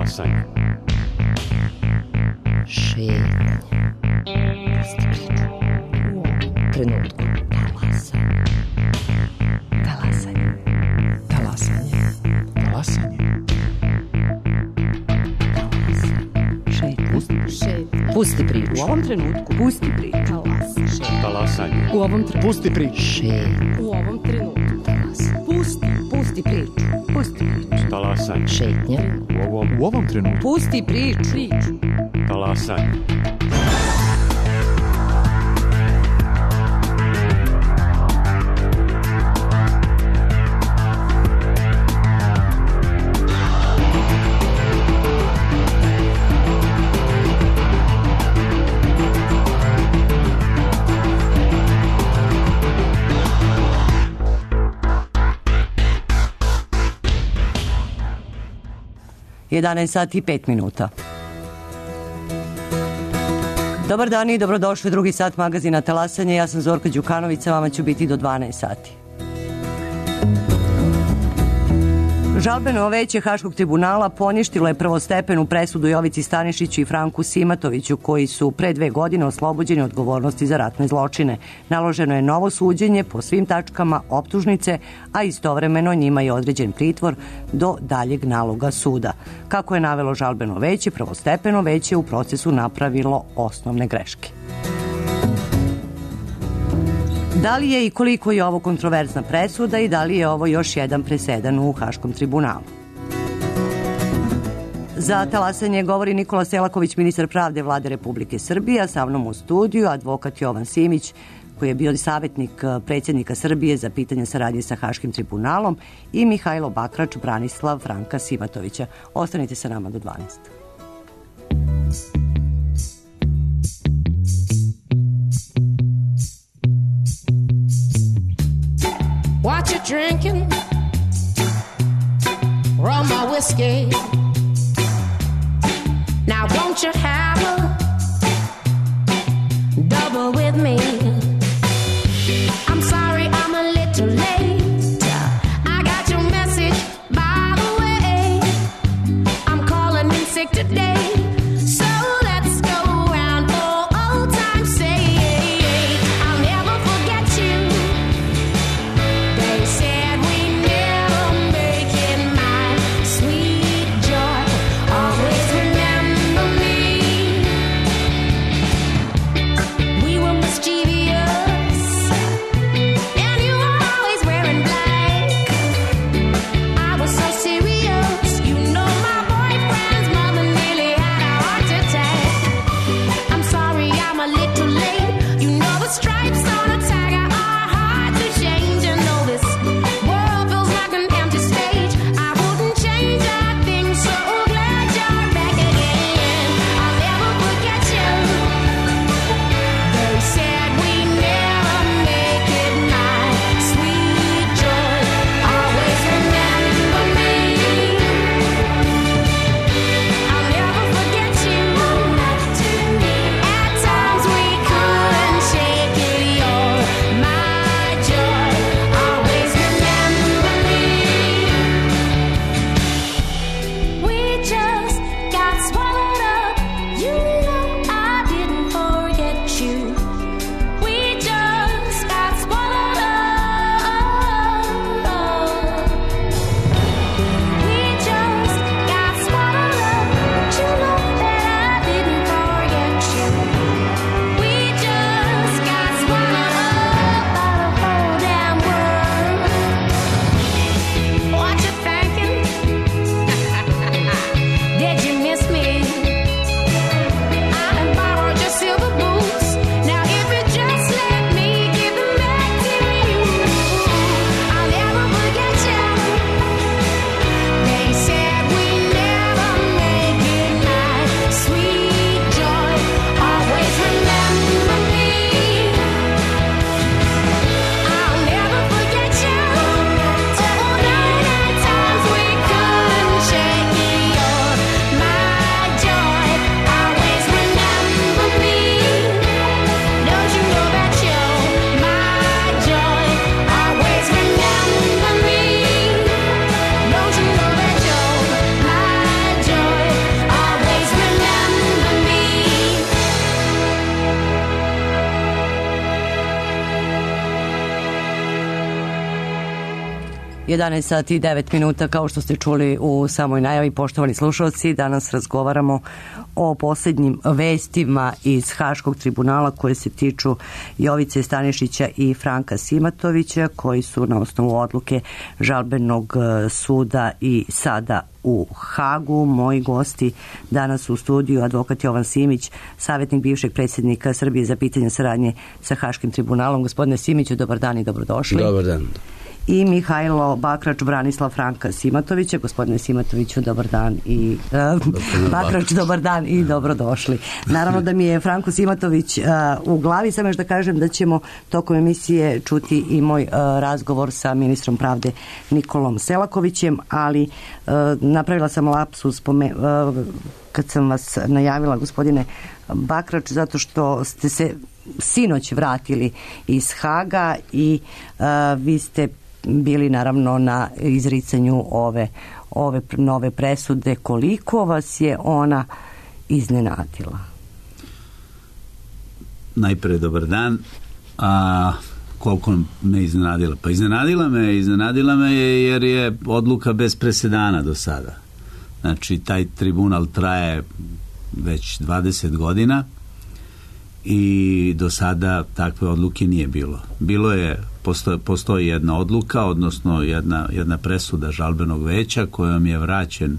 Talasanje. Šetnja. Trenutku. Talasanje. Talasanje. Talasanje. Pusti priču. U ovom trenutku. Pusti priču. Talasanje. U ovom trenutku. Pusti priču. U ovom trenutku. Pusti priču. Pusti priču. Talasanje. Šetnja. U ovom trenutku. Pusti priču. Talasanje. Sati i 5 minuta. Dobar dan i dobrodošli u drugi sat magazina Talasanje. Ja sam Zorka Đukanović, sa vama ću biti do 12 sati. Žalbeno veće Haškog tribunala poništilo je prvostepenu presudu Jovici Stanišiću i Franku Simatoviću, koji su pre 2 godine oslobođeni odgovornosti za ratne zločine. Naloženo je novo suđenje po svim tačkama optužnice, a istovremeno njima je određen pritvor do daljeg naloga suda. Kako je navelo žalbeno veće, prvostepeno veće u procesu napravilo osnovne greške. Da li je i koliko je ovo kontroverzna presuda i da li je ovo još jedan presedan u Haškom tribunalu? Za Talasanje govori Nikola Selaković, ministar pravde Vlade Republike Srbije, a sa mnom u studiju advokat Jovan Simić, koji je bio savjetnik predsjednika Srbije za pitanje saradnje sa Haškim tribunalom, i Mihajlo Bakrač, Branislav Franka Simatovića. Ostanite sa nama do 12. What you drinking? Rum or whiskey? Now won't you have a double with me? I'm sorry I'm a little late. I got your message by the way. I'm calling in sick today. So let's go round for old time's sake. I'll never forget you. They said we never make it, my sweet joy. Always remember me. We were mischievous. 11 sati i 9 minuta, kao što ste čuli u samoj najavi, poštovani slušalci, danas razgovaramo o posljednjim vestima iz Haškog tribunala koje se tiču Jovice Stanišića i Franka Simatovića, koji su na osnovu odluke žalbenog suda i sada u Hagu. Moji gosti danas u studiju, advokat Jovan Simić, savjetnik bivšeg predsjednika Srbije za pitanje saradnje sa Haškim tribunalom. Gospodine Simiću, dobar dan i dobrodošli. Dobar dan. I Mihajlo Bakrač, Branislav Franka Simatovića. Gospodine Simatoviću, dobar dan i Bakrač, dobar dan i dobrodošli. Naravno da mi je Franko Simatović u glavi, samo još da kažem da ćemo tokom emisije čuti i moj razgovor sa ministrom pravde Nikolom Selakovićem, ali napravila sam lapsus kad sam vas najavila, gospodine Bakrač, zato što ste se sinoć vratili iz Haga i vi ste bili naravno na izricanju ove nove presude. Koliko vas je ona iznenadila? Najpre dobar dan. Koliko me iznenadila? Pa iznenadila me jer je odluka bez presedana do sada. Znači, taj tribunal traje već 20 godina i do sada takve odluke nije bilo. Postoji jedna odluka, odnosno jedna presuda žalbenog veća kojom je vraćen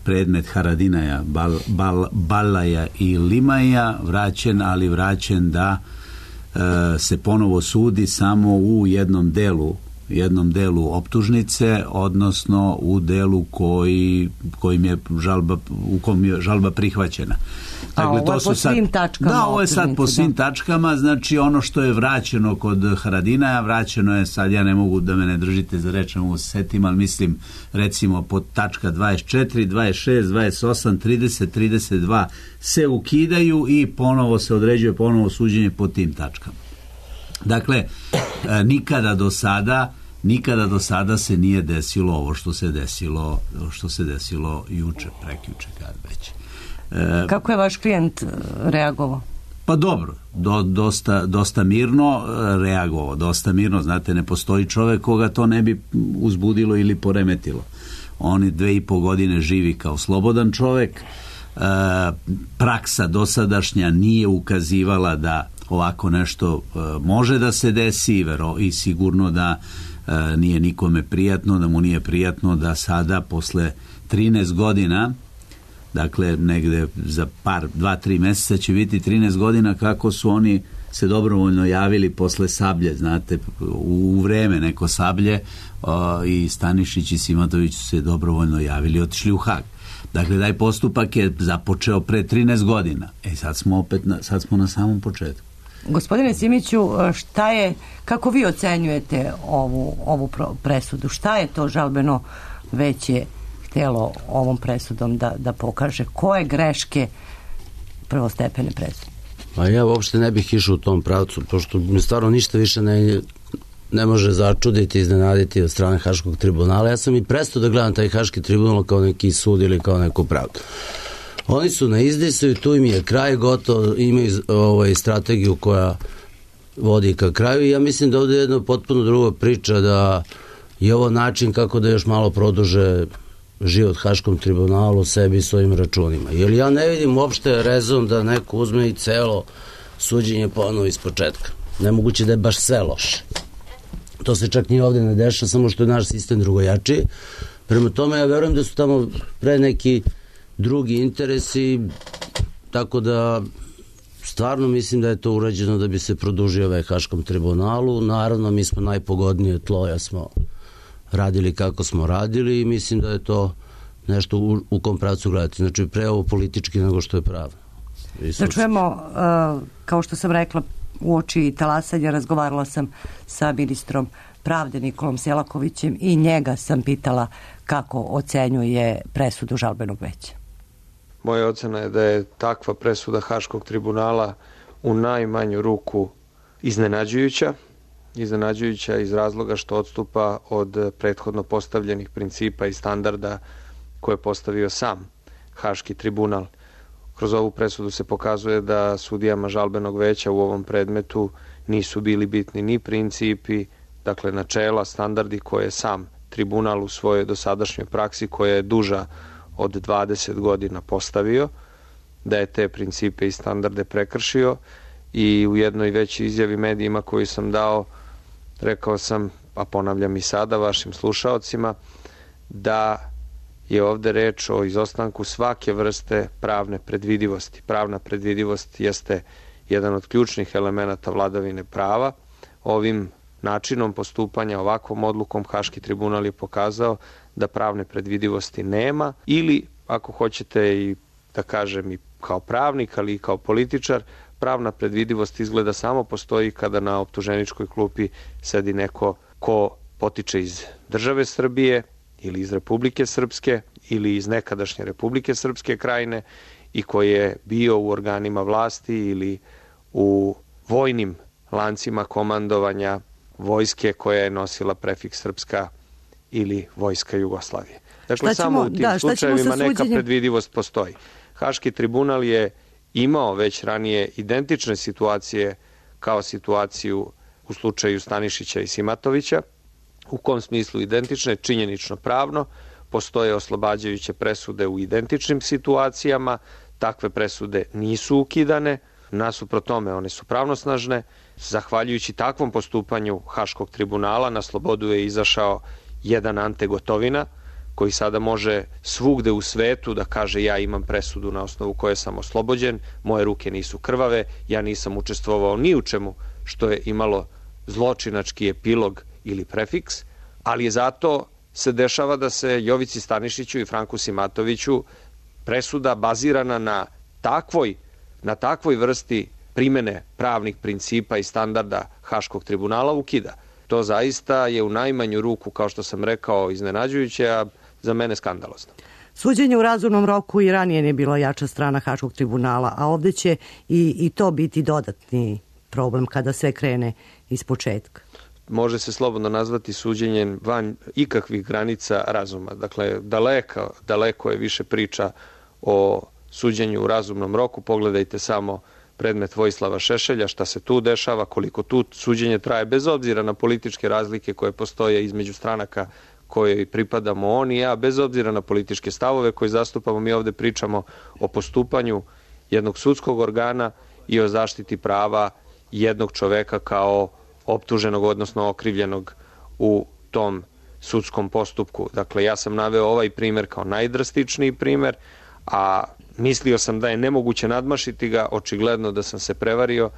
predmet Haradinaja, Balaja i Limaja, vraćen da se ponovo sudi samo u jednom delu optužnice, odnosno u delu u kom je žalba prihvaćena. Dakle, ovo je po svim tačkama. Da, ovo je sad po svim tačkama, znači ono što je vraćeno kod Haradinaja, vraćeno je, sad ja ne mogu da me ne držite za reč, ne mogu se setim, ali mislim recimo pod tačka 24, 26, 28, 30, 32 se ukidaju i ponovo se određuje ponovo suđenje po tim tačkama. Dakle, nikada do sada se nije desilo ovo što se desilo juče, prekjuče, kad već. Kako je vaš klijent reagovao? Pa dobro, dosta mirno reagovao, dosta mirno, znate, ne postoji čovek koga to ne bi uzbudilo ili poremetilo. On 2,5 godine živi kao slobodan čovek, praksa dosadašnja nije ukazivala da ovako nešto može da se desi i sigurno da nije nikome prijatno, da mu nije prijatno da sada posle 13 godina, dakle negde za 2-3 meseca će biti 13 godina kako su oni se dobrovoljno javili posle Sablje, znate, u vreme neko Sablje, i Stanišić i Simatović su se dobrovoljno javili i otišli u Hag. Dakle, taj postupak je započeo pre 13 godina. Sad smo na samom početku. Gospodine Simiću, kako vi ocenjujete ovu presudu? Šta je to žalbeno veće htjelo ovom presudom da pokaže? Koje greške prvostepene presude? Pa ja uopšte ne bih išao u tom pravcu, pošto mi stvarno ništa više ne može začuditi, iznenaditi od strane Haškog tribunala. Ja sam i prestao da gledam taj Haški tribunal kao neki sud ili kao neku pravdu. Oni su na izdisu i tu im je kraj gotovo, imaju strategiju koja vodi ka kraju i ja mislim da ovdje je jedna potpuno druga priča, da je ovo način kako da još malo produže život Haškom tribunalu, sebi i svojim računima. Jer ja ne vidim uopšte rezon da neko uzme i celo suđenje ponovo iz početka. Nemoguće da je baš sve loše. To se čak ni ovdje ne deša, samo što je naš sistem drugojačiji. Prema tome ja verujem da su tamo pre neki drugi interesi, tako da stvarno mislim da je to urađeno da bi se produžio Haškom tribunalu. Naravno, mi smo najpogodnije tlo, ja smo radili kako smo radili i mislim da je to nešto u kom pravcu gledati. Znači, pre ovo politički nego što je pravno. Da čujemo, kao što sam rekla, uoči talasanja razgovarala sam sa ministrom pravde Nikolom Selakovićem i njega sam pitala kako ocenjuje presudu žalbenog veća. Moja ocena je da je takva presuda Haškog tribunala u najmanju ruku iznenađujuća iz razloga što odstupa od prethodno postavljenih principa i standarda koje je postavio sam Haški tribunal. Kroz ovu presudu se pokazuje da sudijama žalbenog veća u ovom predmetu nisu bili bitni ni principi, dakle načela, standardi koje je sam tribunal u svojoj dosadašnjoj praksi, koja je duža od 20 godina postavio, da je te principe i standarde prekršio i u jednoj većoj izjavi medijima koju sam dao rekao sam, a ponavljam i sada vašim slušaocima, da je ovde reč o izostanku svake vrste pravne predvidivosti. Pravna predvidivost jeste jedan od ključnih elemenata vladavine prava. Ovim načinom postupanja, ovakvom odlukom, Haški tribunal je pokazao da pravne predvidivosti nema ili, ako hoćete i da kažem i kao pravnik, ali i kao političar, pravna predvidivost izgleda samo postoji kada na optuženičkoj klupi sedi neko ko potiče iz države Srbije ili iz Republike Srpske ili iz nekadašnje Republike Srpske Krajine i koji je bio u organima vlasti ili u vojnim lancima komandovanja vojske koja je nosila prefiks Srpska ili Vojska Jugoslavije. Dakle, samo u tim slučajevima neka predvidivost postoji. Haški tribunal je imao već ranije identične situacije kao situaciju u slučaju Stanišića i Simatovića. U kom smislu identične? Činjenično pravno. Postoje oslobađajuće presude u identičnim situacijama. Takve presude nisu ukidane. Nasuprot tome, one su pravnosnažne. Zahvaljujući takvom postupanju Haškog tribunala na slobodu je izašao jedan Ante Gotovina, koji sada može svugde u svetu da kaže ja imam presudu na osnovu koje sam oslobođen, moje ruke nisu krvave, ja nisam učestvovao ni u čemu što je imalo zločinački epilog ili prefiks, ali je zato se dešava da se Jovici Stanišiću i Franku Simatoviću presuda bazirana na takvoj vrsti primene pravnih principa i standarda Haškog tribunala ukida. To zaista je u najmanju ruku, kao što sam rekao, iznenađujuće, a za mene skandalozno. Suđenje u razumnom roku i ranije ne bila jača strana Haškog tribunala, a ovde će i to biti dodatni problem kada sve krene iz početka. Može se slobodno nazvati suđenjem van ikakvih granica razuma. Dakle, daleko je više priča o suđenju u razumnom roku. Pogledajte samo predmet Vojislava Šešelja, šta se tu dešava, koliko tu suđenje traje, bez obzira na političke razlike koje postoje između stranaka koje pripadamo on i ja, bez obzira na političke stavove koje zastupamo. Mi ovde pričamo o postupanju jednog sudskog organa i o zaštiti prava jednog čoveka kao optuženog, odnosno okrivljenog u tom sudskom postupku. Dakle, ja sam naveo ovaj primer kao najdrastičniji primer, a mislio sam da je nemoguće nadmašiti ga, očigledno da sam se prevario,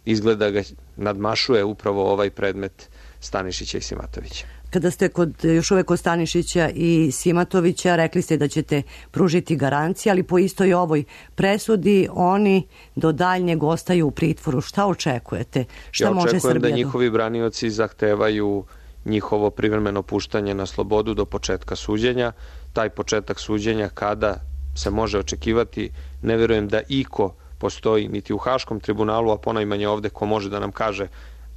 izgleda ga nadmašuje upravo ovaj predmet Stanišića i Simatovića. Kada ste još uvek kod Stanišića i Simatovića, rekli ste da ćete pružiti garancije, ali po istoj ovoj presudi oni do daljnjeg ostaju u pritvoru. Šta očekujete? Ja očekujem da njihovi branioci zahtevaju njihovo privremeno puštanje na slobodu do početka suđenja. Taj početak suđenja kada se može očekivati, ne verujem da iko postoji niti u Haškom tribunalu, a ponajmanje ovde ko može da nam kaže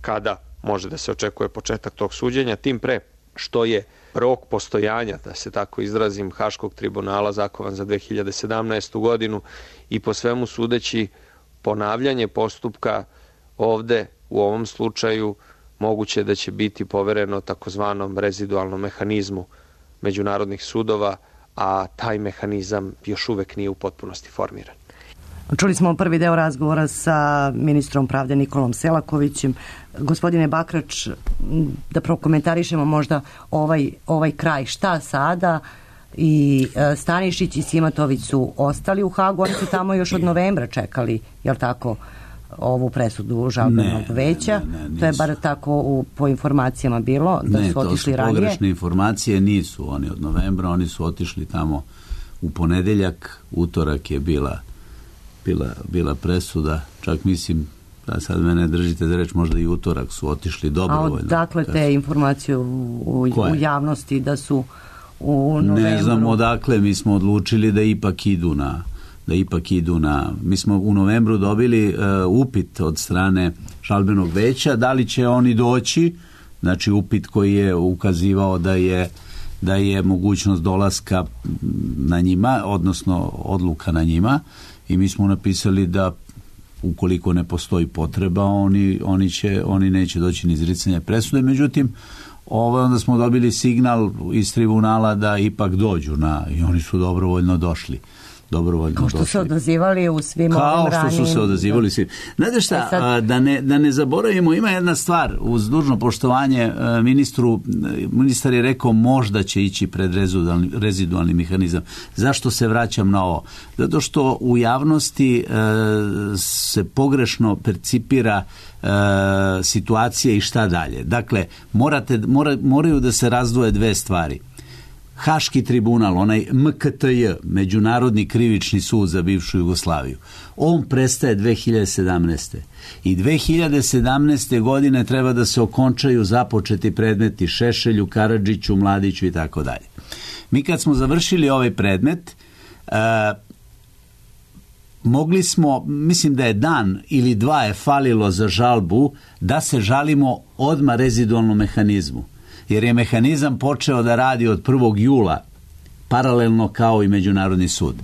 kada može da se očekuje početak tog suđenja, tim pre što je rok postojanja, da se tako izrazim, Haškog tribunala zakovan za 2017. godinu i po svemu sudeći ponavljanje postupka ovde u ovom slučaju moguće da će biti povereno takozvanom rezidualnom mehanizmu međunarodnih sudova, a taj mehanizam još uvek nije u potpunosti formiran. Čuli smo prvi deo razgovora sa ministrom pravde Nikolom Selakovićem. Gospodine Bakrač, da prokomentarišemo možda ovaj kraj. Šta sada? I Stanišić i Simatović su ostali u Hagu, oni su tamo još od novembra čekali, jel tako, ovu presudu žalbenog veća. To je bar tako po informacijama bilo, da su otišli ranije. Ne, to su pogrešne informacije, nisu oni od novembra, oni su otišli tamo u ponedeljak, utorak je bila presuda, čak mislim, da sad mene držite za reč, možda i utorak su otišli dobrovoljno. A odakle te informacije u javnosti da su u novembru? Ne znam odakle, mi smo odlučili da ipak idu na... Mi smo u novembru dobili upit od strane žalbenog veća, da li će oni doći, znači upit koji je ukazivao da je mogućnost dolaska na njima, odnosno odluka na njima, i mi smo napisali da ukoliko ne postoji potreba, oni neće doći ni izricanja presude. Međutim, onda smo dobili signal iz tribunala da ipak dođu i oni su dobrovoljno došli. Kao što su odazivali u svim ovim ranijim. Kao što su se odazivali svim. Znate šta, da ne zaboravimo, ima jedna stvar, uz dužno poštovanje ministar je rekao možda će ići pred rezidualni mehanizam. Zašto se vraćam na ovo? Zato što u javnosti se pogrešno percipira situacije i šta dalje. Dakle, moraju da se razdvoje dve stvari. Haški tribunal, onaj MKTJ, Međunarodni krivični sud za bivšu Jugoslaviju, on prestaje 2017. I 2017. godine treba da se okončaju započeti predmeti Šešelju, Karadžiću, Mladiću i tako dalje. Mi kad smo završili ovaj predmet, mogli smo, mislim da je dan ili dva je falilo za žalbu, da se žalimo odmah rezidualnom mehanizmu. Jer je mehanizam počeo da radi od 1. jula, paralelno kao i Međunarodni sud.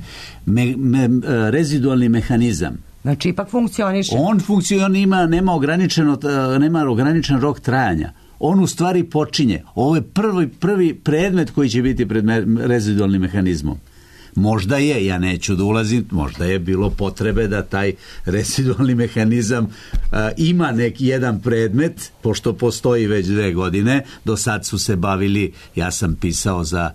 Rezidualni mehanizam. Znači, ipak funkcioniše. On funkcionira, nema ograničen rok trajanja. On u stvari počinje. Ovo je prvi predmet koji će biti pred rezidualnim mehanizmom. Možda je, ja neću da ulazim, možda je bilo potrebe da taj rezidualni mehanizam ima jedan predmet, pošto postoji već 2 godine. Do sad su se bavili, ja sam pisao za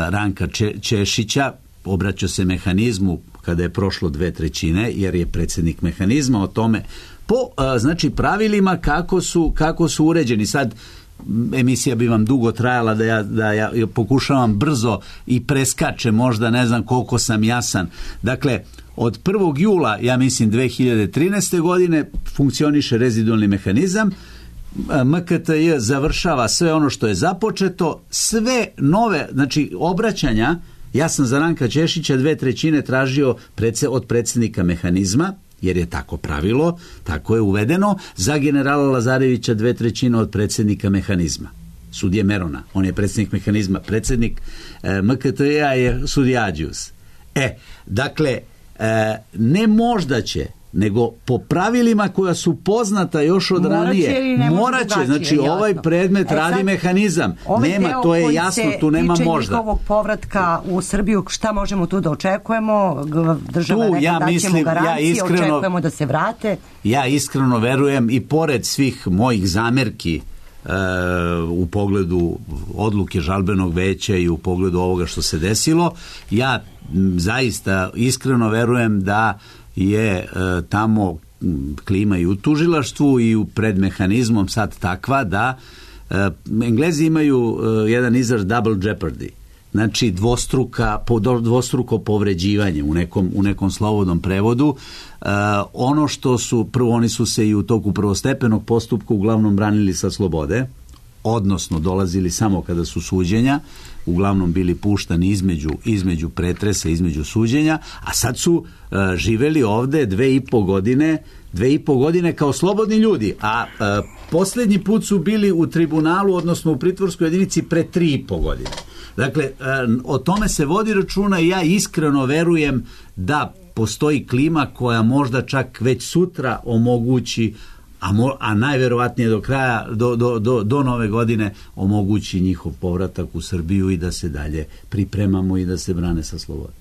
Ranka Češića, obraćao se mehanizmu kada je prošlo 2/3, jer je predsjednik mehanizma o tome po pravilima kako su uređeni. Sad emisija bi vam dugo trajala da ja pokušavam brzo i preskačem, možda ne znam koliko sam jasan. Dakle, od 1. jula, ja mislim 2013. godine, funkcioniše rezidualni mehanizam. MKTJ završava sve ono što je započeto, sve nove, znači obraćanja. Ja sam za Ranka Češića 2/3 tražio od predsjednika mehanizma, jer je tako pravilo, tako je uvedeno. Za generala Lazarevića 2/3 od predsjednika mehanizma, sudije Merona, on je predsjednik mehanizma. Predsjednik MKTJ-a je sudija Ađius. Dakle, ne možda će, nego po pravilima koja su poznata još od ranije, morat će, znači jasno. Ovaj predmet radi mehanizam. Nema, to je jasno, tu nema možda. Ovaj deo koji se tiče njihovog povratka u Srbiju, šta možemo tu da očekujemo? Država rekla da ćemo garancije, očekujemo da se vrate. Ja iskreno verujem, i pored svih mojih zamerki u pogledu odluke žalbenog veća i u pogledu ovoga što se desilo, ja zaista iskreno verujem da je tamo klima i u tužilaštvu i pred mehanizmom sad takva da Englezi imaju jedan izraz double jeopardy, znači dvostruko povređivanje u nekom slobodnom prevodu. Ono što su, prvo oni su se i u toku prvostepenog postupka uglavnom branili sa slobode, odnosno dolazili samo kada su suđenja, uglavnom bili puštani između pretresa, između suđenja, a sad su živeli ovde 2,5 godine kao slobodni ljudi, a posljednji put su bili u tribunalu, odnosno u pritvorskoj jedinici pre 3,5 godine. Dakle, o tome se vodi računa i ja iskreno verujem da postoji klima koja možda čak već sutra omogući, a najverovatnije do kraja, do nove godine omogući njihov povratak u Srbiju i da se dalje pripremamo i da se brane sa slobodom.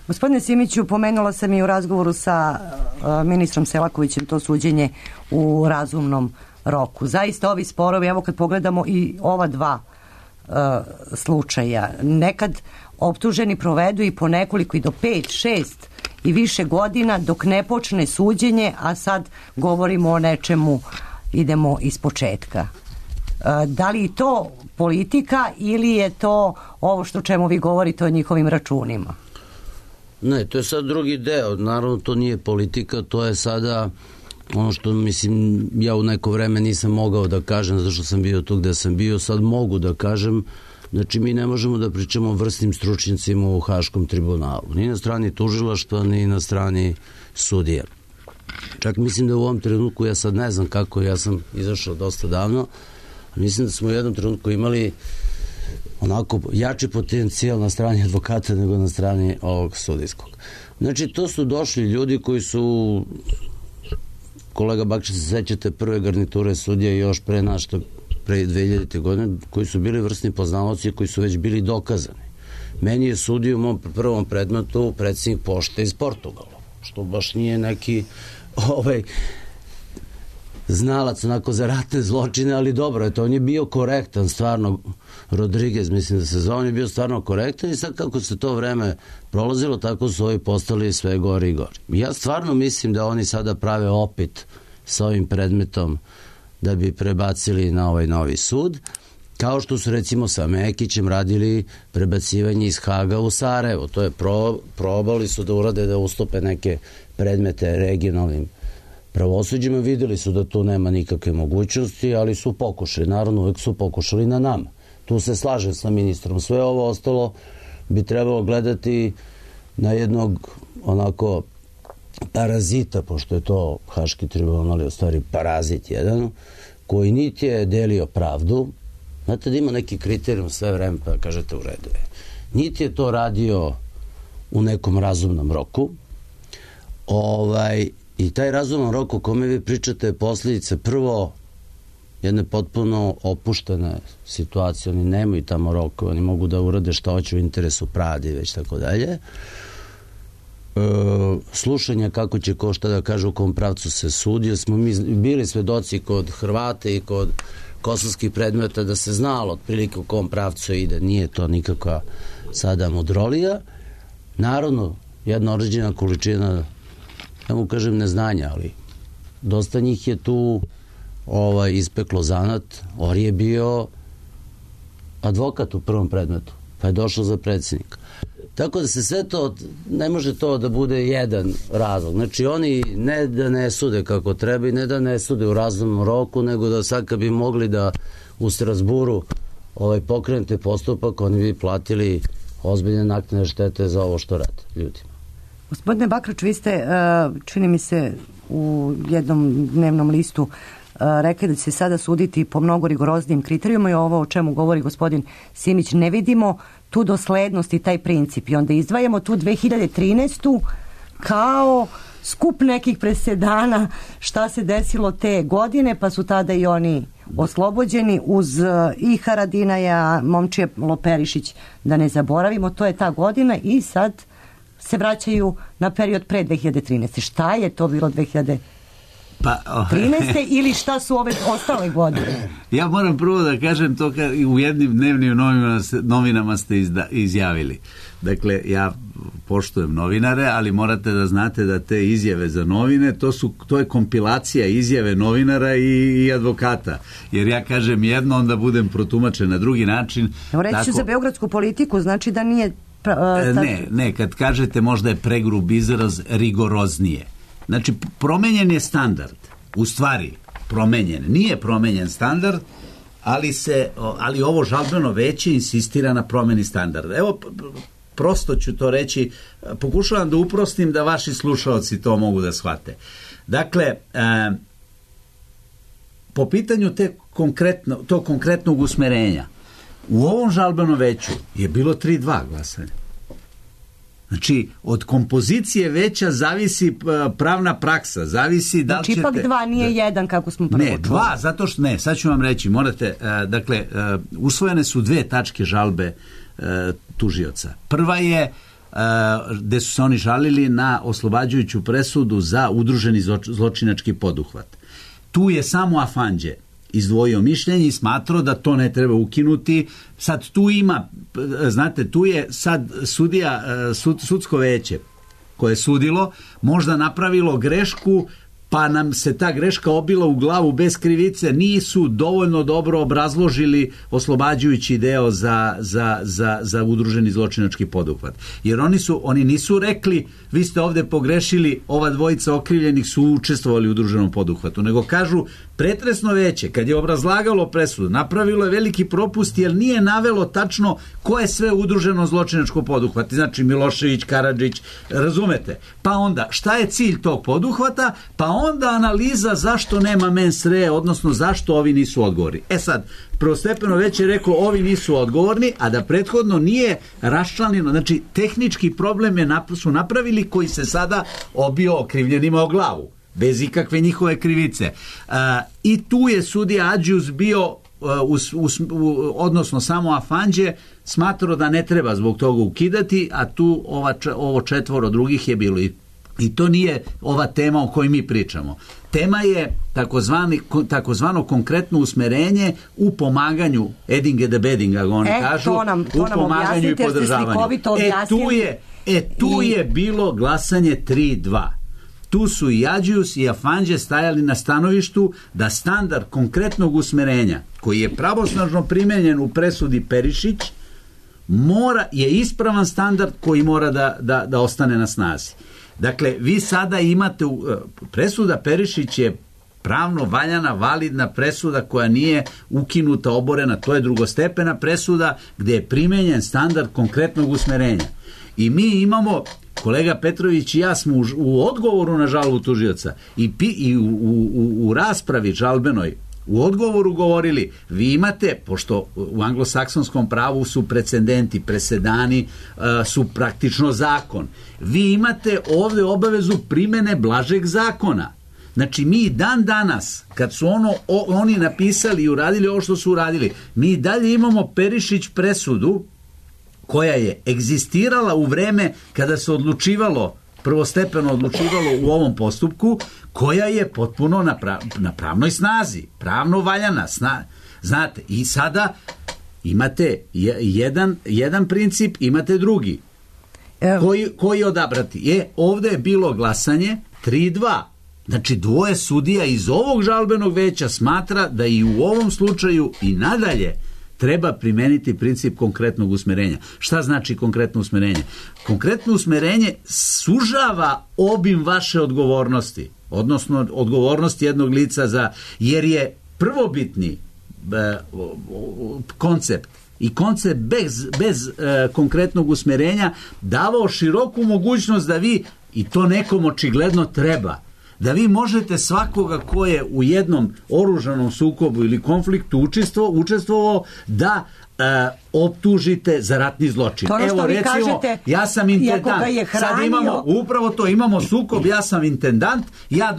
Gospodine Simiću, pomenula sam i u razgovoru sa ministrom Selakovićem to suđenje u razumnom roku. Zaista ovi sporovi, evo kad pogledamo i ova dva slučaja, nekad optuženi provedu i po nekoliko i do 5, 6 i više godina dok ne počne suđenje, a sad govorimo o nečemu, idemo iz početka. Da li je to politika ili je to ovo što čemu vi govorite o njihovim računima? Ne, to je sad drugi deo. Naravno, to nije politika, to je sada ono što, mislim, ja u neko vreme nisam mogao da kažem zato što sam bio tu gde sam bio, sad mogu da kažem. Znači, mi ne možemo da pričamo o vrsnim stručnjacima u Haškom tribunalu. Ni na strani tužilaštva, ni na strani sudija. Čak mislim da u ovom trenutku, ja sad ne znam kako, ja sam izašao dosta davno, mislim da smo u jednom trenutku imali onako jači potencijal na strani advokata nego na strani ovog sudijskog. Znači, to su došli ljudi koji su kolega Bakšić, se sećate prve garniture sudija još pre nas, što pre 2000. godine, koji su bili vrsni poznavaoci, koji su već bili dokazani. Meni je sudio u mom prvom predmetu predsjednik pošte iz Portugala, što baš nije neki znalac onako za ratne zločine, ali dobro, eto, on je bio korektan, stvarno, Rodriguez, mislim da se zove, on je bio stvarno korektan i sad kako se to vreme prolazilo, tako su ovi postali sve gori i gori. Ja stvarno mislim da oni sada prave opet sa ovim predmetom da bi prebacili na ovaj novi sud, kao što su recimo sa Mekićem radili prebacivanje iz Haga u Sarajevo. To je probali su da urade, da ustupe neke predmete regionalnim pravosuđima, videli su da tu nema nikakve mogućnosti, ali su pokušali, naravno uvek su pokušali na nama. Tu se slažem sa ministrom. Sve ovo ostalo bi trebalo gledati na jednog onako parazita, pošto je to Haški tribunal, u stvari parazit jedan, koji niti je delio pravdu, znate da ima neki kriterijum sve vreme, pa kažete u redu je. Niti je to radio u nekom razumnom roku, i taj razuman rok o kome vi pričate je posljedica prvo jedne potpuno opuštene situacije, oni nemaju tamo rokove, oni mogu da urade šta hoće u interesu pravde i već tako dalje. Slušanja kako će ko šta da kaže u kom pravcu se sudi, smo mi bili svedoci kod Hrvata i kod kosovskih predmeta da se znalo otprilike u kom pravcu ide, nije to nikakva sada mudrolija. Naravno, jedna određena količina, ja mu kažem neznanja, ali dosta njih je tu ispeklo zanat. Ori je bio advokat u prvom predmetu, pa je došao za predsjednika. Tako da se sve to, ne može to da bude jedan razlog. Znači oni ne da ne sude kako treba i ne da ne sude u razumnom roku, nego da sad kad bi mogli da u Strasburu pokrenete postupak, oni bi platili ozbiljne naknadne štete za ovo što rade ljudima. Gospodine Bakrač, vi ste, čini mi se, u jednom dnevnom listu rekli da će se sada suditi po mnogo rigoroznijim kriterijuma i ovo o čemu govori gospodin Simić, ne vidimo tu doslednost i taj princip i onda izdvajamo tu 2013. kao skup nekih presedana šta se desilo te godine, pa su tada i oni oslobođeni uz i Haradinaja, Momčije Loperišić, da ne zaboravimo, to je ta godina i sad se vraćaju na period pre 2013. Šta je to bilo 2013. Ili šta su ove ostale godine? Ja moram prvo da kažem to u jednim dnevnim novinama ste izjavili. Dakle, ja poštujem novinare, ali morate da znate da te izjave za novine, to je kompilacija izjave novinara i advokata. Jer ja kažem jedno, onda budem protumačen na drugi način. Reći ću za beogradsku politiku, znači da nije... Ne, kad kažete možda je pregrub izraz, rigoroznije. Znači, promenjen je standard. U stvari, promenjen. Nije promenjen standard, ali ovo žalbeno veće insistira na promeni standarda. Evo, prosto ću to reći, pokušavam da uprostim da vaši slušaoci to mogu da shvate. Dakle, po pitanju tog konkretnog usmerenja, u ovom žalbenom veću je bilo 3-2 glasanja. Znači, od kompozicije veća zavisi pravna praksa, zavisi da li ćete... Znači, ipak 2 nije 1 kako smo prvo čuli. Ne, 2, zato što ne, sad ću vam reći, morate, dakle, usvojene su 2 tačke žalbe tužioca. Prva je gde su se oni žalili na oslobađajuću presudu za udruženi zločinački poduhvat. Tu je samo Afanđe izdvojio mišljenje i smatrao da to ne treba ukinuti. Sad tu ima, znate, tu je sad sudsko veće koje je sudilo, možda napravilo grešku, pa nam se ta greška obila u glavu bez krivice, nisu dovoljno dobro obrazložili oslobađajući deo za udruženi zločinački poduhvat. Jer oni nisu rekli, vi ste ovde pogrešili, ova dvojica okrivljenih su učestvovali u udruženom poduhvatu, nego kažu, pretresno veće, kad je obrazlagalo presudu, napravilo je veliki propust jer nije navelo tačno ko je sve udruženo zločinačko poduhvat. Znači Milošević, Karadžić, razumete? Pa onda, šta je cilj tog poduhvata? Pa onda analiza zašto nema mens rea, odnosno zašto ovi nisu odgovorni. Sad, prvostepeno već je reklo ovi nisu odgovorni, a da prethodno nije raščlanjeno. Znači, tehnički problem su napravili koji se sada obio okrivljenima o glavu. bez ikakve njihove krivice. I tu je sudija Adžius bio, odnosno samo Afanđe, smatrao da ne treba zbog toga ukidati, a tu ovo 4 drugih je bilo. I to nije ova tema o kojoj mi pričamo. Tema je takozvano konkretno usmerenje u pomaganju Edinge de Bedinga, oni kažu, u pomaganju i podržavanju. Tu je bilo glasanje 3-2. Tu su i Adžius i Afanđe stajali na stanovištu da standard konkretnog usmerenja, koji je pravosnažno primenjen u presudi Perišić, je ispravan standard koji mora da ostane na snazi. Dakle, vi sada imate, presuda Perišić je pravno valjana, validna presuda koja nije ukinuta, oborena, to je drugostepena presuda gdje je primenjen standard konkretnog usmerenja. I mi imamo, kolega Petrović i ja smo u odgovoru na žalbu tužioca i u raspravi žalbenoj u odgovoru govorili, vi imate, pošto u anglosaksonskom pravu su precedenti, presedani su praktično zakon, vi imate ovdje obavezu primene blažeg zakona. Znači mi dan danas, kad su oni napisali i uradili ovo što su uradili, mi dalje imamo Perišić presudu koja je egzistirala u vreme kada se prvostepeno odlučivalo u ovom postupku, koja je potpuno na pravnoj snazi, pravno valjana. Znate, i sada imate jedan princip, imate drugi. Koji odabrati? Ovdje je bilo glasanje 3-2. Znači, 2 sudija iz ovog žalbenog veća smatra da i u ovom slučaju i nadalje treba primeniti princip konkretnog usmerenja. Šta znači konkretno usmerenje? Konkretno usmerenje sužava obim vaše odgovornosti, odnosno odgovornosti jednog lica jer je prvobitni koncept i koncept bez konkretnog usmerenja davao široku mogućnost da vi, i to nekom očigledno treba, da vi možete svakoga ko je u jednom oružanom sukobu ili konfliktu učestvovao da optužite za ratni zločin. Evo recimo, kažete, ja sam intendant, sad upravo to, imamo sukob, ja sam intendant, ja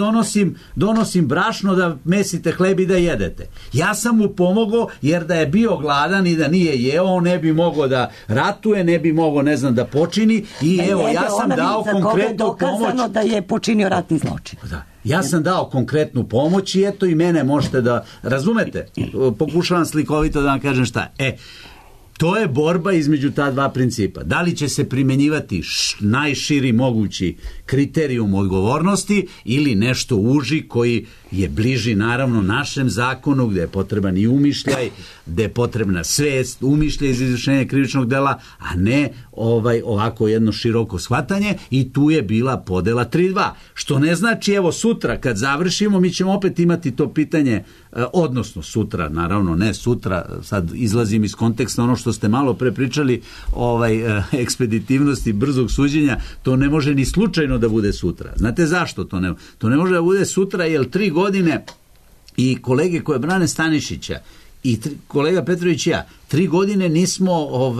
donosim brašno da mesite hleb i da jedete. Ja sam mu pomogao jer da je bio gladan i da nije jeo, on ne bi mogao da ratuje, ne bi mogao, ne znam, da počini i evo, ja sam dao konkretnu pomoć. Da je počinio ratni zločin. Da. Ja sam dao konkretnu pomoć i eto i mene možete da razumete. Pokušavam slikovito da vam kažem šta. To je borba između ta dva principa. Da li će se primenjivati najširi mogući kriterijum odgovornosti ili nešto uži koji je bliži naravno našem zakonu, gdje je potreban i umišljaj, gdje je potrebna svest, umišljaj iz izvršenja krivičnog dela, a ne ovako jedno široko shvatanje, i tu je bila podela 3-2. Što ne znači, evo sutra kad završimo, mi ćemo opet imati to pitanje, odnosno sutra, naravno ne sutra, sad izlazim iz konteksta ono što ste malo pre pričali, ekspeditivnosti brzog suđenja, to ne može ni slučajno da bude sutra. Znate zašto to ne? To ne može da bude sutra, jer 3 godine i kolege koje brane Stanišića i kolega Petrović i ja, 3 godine nismo u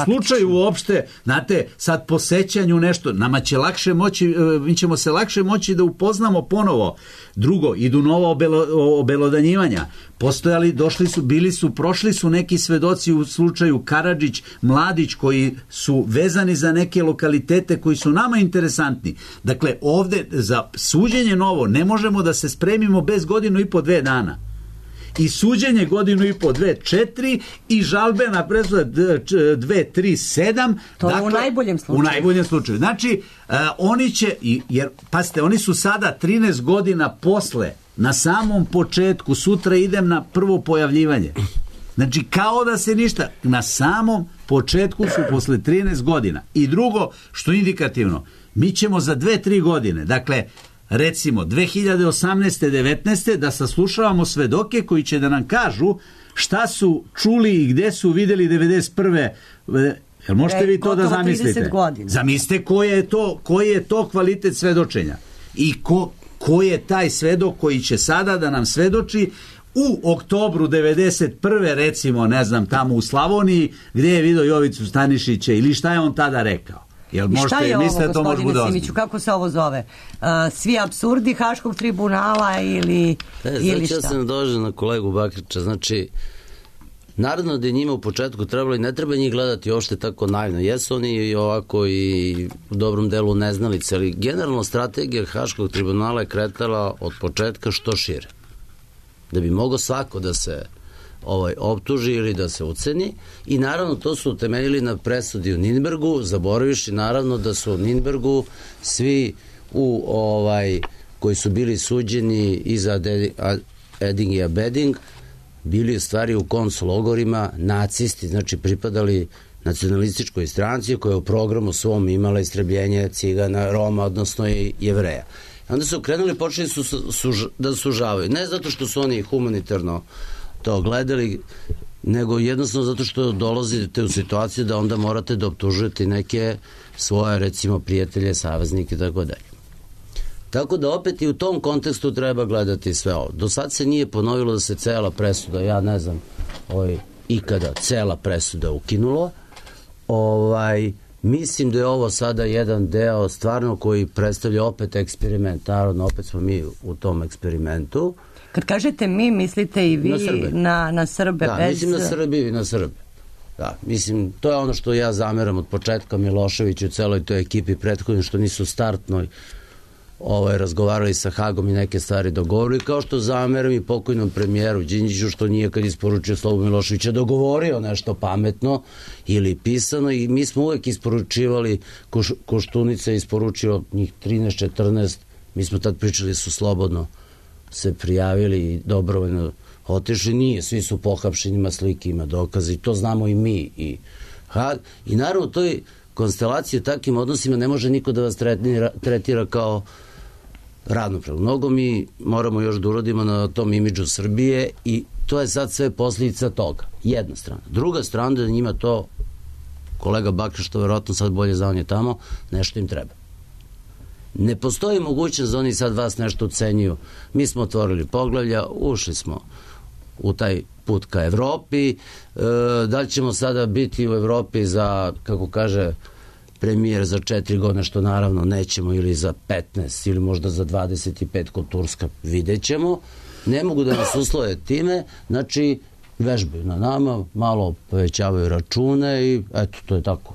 slučaju uopšte, znate, sad po sećanju nešto, nama će lakše moći, mi ćemo se lakše moći da upoznamo ponovo. Drugo, idu nova obelodanjivanja. Postojali, prošli su neki svedoci u slučaju Karadžić, Mladić, koji su vezani za neke lokalitete koji su nama interesantni. Dakle, ovde za suđenje novo ne možemo da se spremimo bez 1.5-2 dana. I suđenje 1.5-2, 4 i žalbena presuda 2, 3, 7. To je u najboljem slučaju. U najboljem slučaju. Znači, oni će, jer, pazite, oni su sada 13 godina posle, na samom početku, sutra idem na prvo pojavljivanje. Znači, kao da se ništa, na samom početku su posle 13 godina. I drugo, što je indikativno, mi ćemo za 2-3 godine, dakle, recimo 2018. 19. da saslušavamo svedoke koji će da nam kažu šta su čuli i gde su vidjeli 91. Jel možete vi to da zamislite? Zamislite koji je to kvalitet svedočenja i ko je taj svedok koji će sada da nam svedoči u oktobru 91. recimo, ne znam, tamo u Slavoniji, gdje je vidio Jovicu Stanišića ili šta je on tada rekao. Jel I šta možete je ovo, mislite da to može bude gospodine Simiću, ozbiljno? kako se ovo zove? Svi apsurdi Haškog tribunala ili šta? Ja sam dođe na kolegu Bakrića, znači naravno da je njima u početku trebalo i ne treba njih gledati uopšte tako naivno. Jesu oni i ovako i u dobrom delu neznalice, ali generalno strategija Haškog tribunala je kretala od početka što šire. Da bi mogao svako da se optuži ili da se uceni i naravno to su utemeljili na presudi u Nürnbergu, zaboraviši naravno da su u Nürnbergu svi koji su bili suđeni i za Eding i Abeding bili u stvari u koncologorima nacisti, znači pripadali nacionalističkoj stranci koja je u programu svom imala istrebljenje Cigana, Roma, odnosno i Jevreja. Onda su krenuli, počeli da sužavaju. Ne zato što su oni humanitarno to gledali, nego jednostavno zato što dolazite u situaciju da onda morate da optužujete neke svoje, recimo, prijatelje, saveznike i tako dalje. Tako da opet i u tom kontekstu treba gledati sve ovo. Do sad se nije ponovilo da se cela presuda, ja ne znam, ikada cela presuda ukinulo. Mislim da je ovo sada jedan deo stvarno koji predstavlja opet eksperiment. Naravno, opet smo mi u tom eksperimentu. Kad kažete mi, mislite i vi na Srbe? Da, mislim na Srbiju i na Srbe. Da, mislim, to je ono što ja zameram od početka Miloševiću i celoj toj ekipi prethodno, što nisu startnoj razgovarali sa Hagom i neke stvari dogovorili, kao što zameram i pokojnom premijeru Đinđiću što nije kad isporučio Slobu Miloševića dogovorio nešto pametno ili pisano i mi smo uvek isporučivali, Koštunica je isporučio njih 13-14, mi smo tad pričali su slobodno se prijavili i dobrovoljno otišli, nije, svi su pohapšeni, ima slike, ima dokaze i to znamo i mi i Hag. I naravno toj konstelaciji u takvim odnosima ne može niko da vas tretira kao ravnopravno. Mnogo mi moramo još da uradimo na tom imidžu Srbije i to je sad sve posljedica toga. Jedna strana. Druga strana da njima to, kolega Bakr, što verovatno sad bolje zna, on je tamo, nešto im treba. Ne postoji mogućnost da oni sad vas nešto ucenjuju. Mi smo otvorili poglavlja, ušli smo u taj put ka Evropi. Da li ćemo sada biti u Evropi za, kako kaže premijer, za 4 godine, što naravno nećemo, ili za 15 ili možda za 25 kod Turska, vidjet ćemo. Ne mogu da nas uslove time, znači vežbaju na nama, malo povećavaju račune i eto, to je tako.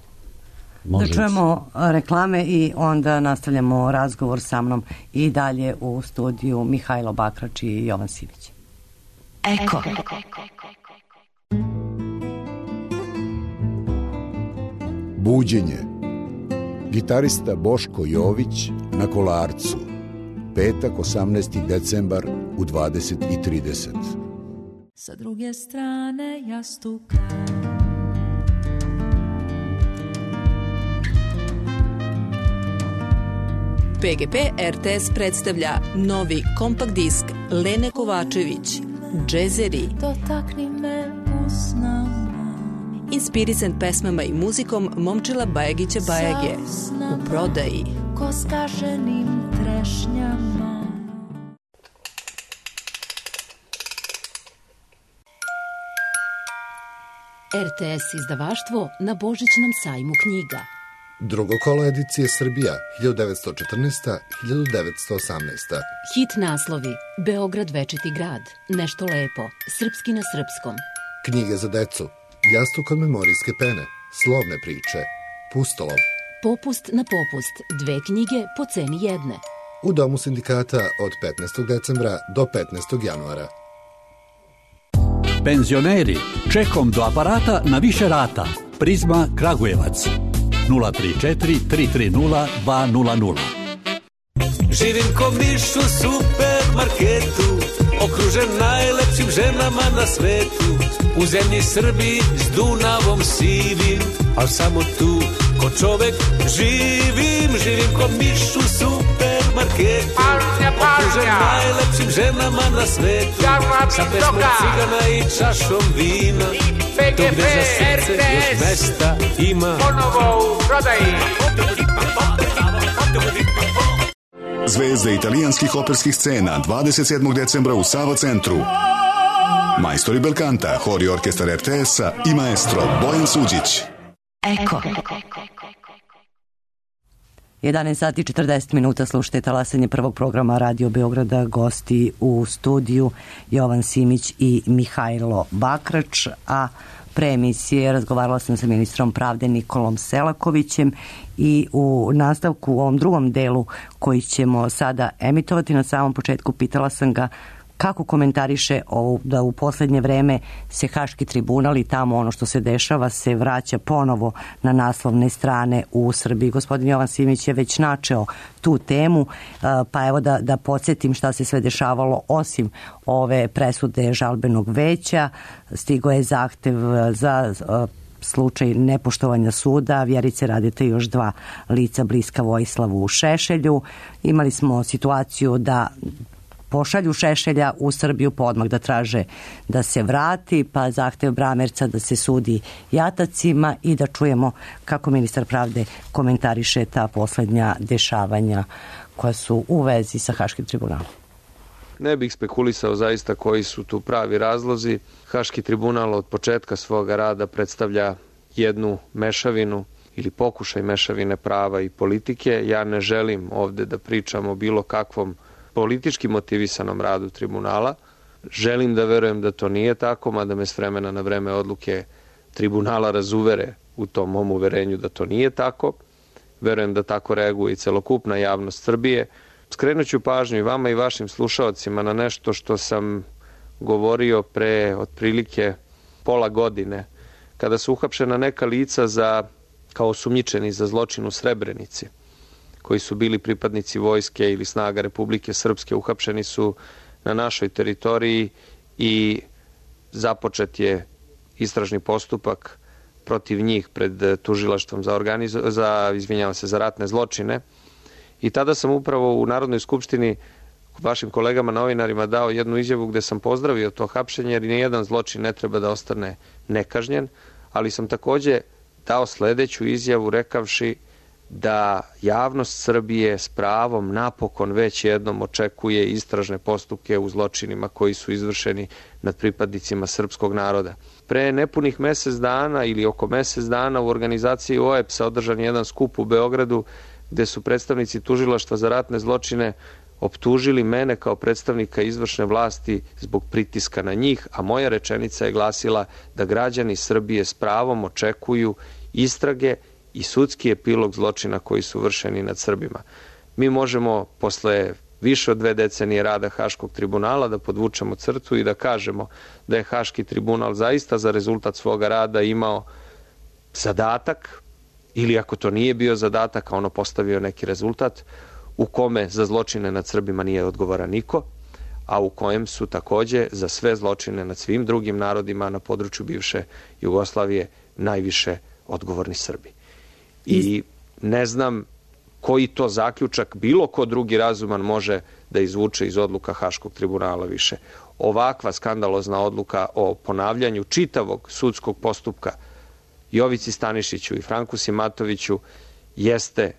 Da čujemo reklame i onda nastavljamo razgovor sa mnom i dalje u studiju Mihajlo Bakrač i Jovan Simić. Eko. Buđenje. Gitarista Boško Jović na Kolarcu. Petak, 18. decembar u 20:30. Sa druge strane jastuka PGP RTS predstavlja novi kompakt disk Lene Kovačević, Džezeri. Dotakni me usnama. Inspirisan pesmama i muzikom Momčila Bajagića Bajage. U prodaji. Ko skaženim trešnjama. RTS izdavaštvo na Božićnom sajmu knjiga. Drugo kolo edicije Srbija, 1914-1918. Hit naslovi: Beograd večiti grad, Nešto lepo, Srpski na srpskom. Knjige za decu, Jastuk od memorijske pene, Slovne priče, Pustolov. Popust na popust, 2 knjige po ceni jedne. U Domu sindikata od 15. decembra do 15. januara. Penzioneri, čekom do aparata na više rata. Prizma Kragujevac. 034 330 200. Živim ko miš u supermarketu, okružen najlepšim ženama na svetu. U zemlji Srbiji s Dunavom sivim, al samo tu ko čovek živim. Živim ko miš u supermarketu, okružen najlepšim ženama na svetu. Sa pesmom cigana i čašom vina, to gde za srce još mesta ima. Ponovo u prodaji. Zvezde italijanskih operskih scena 27. decembra u Sava centru. Majstori Belkanta, hor i orkestar RTS-a i maestro Bojan Suđić. Eko. 11 sati 40 minuta, slušajte talasanje prvog programa Radio Beograda, gosti u studiju Jovan Simić i Mihajlo Bakrač, a pre emisije razgovarala sam sa ministrom pravde Nikolom Selakovićem i u nastavku u ovom drugom delu koji ćemo sada emitovati na samom početku pitala sam ga kako komentariše da u poslednje vreme se Haški tribunal i tamo ono što se dešava se vraća ponovo na naslovne strane u Srbiji. Gospodin Jovan Simić je već načeo tu temu, pa evo da podsjetim šta se sve dešavalo osim ove presude žalbenog veća. Stigo je zahtev za slučaj nepoštovanja suda Vjerice Radete i još 2 lica bliska Vojislavu Šešelju. Imali smo situaciju da pošalju Šešelja u Srbiju pa odmah da traže da se vrati, pa zahtev Bramerca da se sudi jatacima i da čujemo kako ministar pravde komentariše ta poslednja dešavanja koja su u vezi sa Haškim tribunalom. Ne bih spekulisao zaista koji su tu pravi razlozi. Haški tribunal od početka svoga rada predstavlja jednu mešavinu ili pokušaj mešavine prava i politike. Ja ne želim ovde da pričam o bilo kakvom politički motivisanom radu tribunala. Želim da verujem da to nije tako, mada me s vremena na vreme odluke tribunala razuvere u tom mom uverenju da to nije tako. Verujem da tako reaguje i celokupna javnost Srbije. Skrenut ću pažnju i vama i vašim slušaocima na nešto što sam govorio pre otprilike pola godine, kada su uhapšena neka lica kao osumnjičeni za zločin u Srebrenici, koji su bili pripadnici vojske ili snaga Republike Srpske, uhapšeni su na našoj teritoriji i započet je istražni postupak protiv njih pred tužilaštvom za ratne zločine. I tada sam upravo u Narodnoj skupštini vašim kolegama novinarima dao jednu izjavu gde sam pozdravio to hapšenje, jer nijedan zločin ne treba da ostane nekažnjen, ali sam takođe dao sledeću izjavu rekavši da javnost Srbije s pravom napokon već jednom očekuje istražne postupke u zločinima koji su izvršeni nad pripadnicima srpskog naroda. Pre nepunih mesec dana ili oko mesec dana u organizaciji OEPS-a održan jedan skup u Beogradu gde su predstavnici tužilaštva za ratne zločine optužili mene kao predstavnika izvršne vlasti zbog pritiska na njih, a moja rečenica je glasila da građani Srbije s pravom očekuju istrage i sudski epilog zločina koji su vršeni nad Srbima. Mi možemo posle više od 2 decenije rada Haškog tribunala da podvučemo crtu i da kažemo da je Haški tribunal zaista za rezultat svoga rada imao zadatak, ili ako to nije bio zadatak, a ono postavio neki rezultat, u kome za zločine nad Srbima nije odgovoran niko, a u kojem su takođe za sve zločine nad svim drugim narodima na području bivše Jugoslavije najviše odgovorni Srbi. I ne znam koji to zaključak bilo ko drugi razuman može da izvuče iz odluka Haškog tribunala više. Ovakva skandalozna odluka o ponavljanju čitavog sudskog postupka Jovici Stanišiću i Franku Simatoviću jeste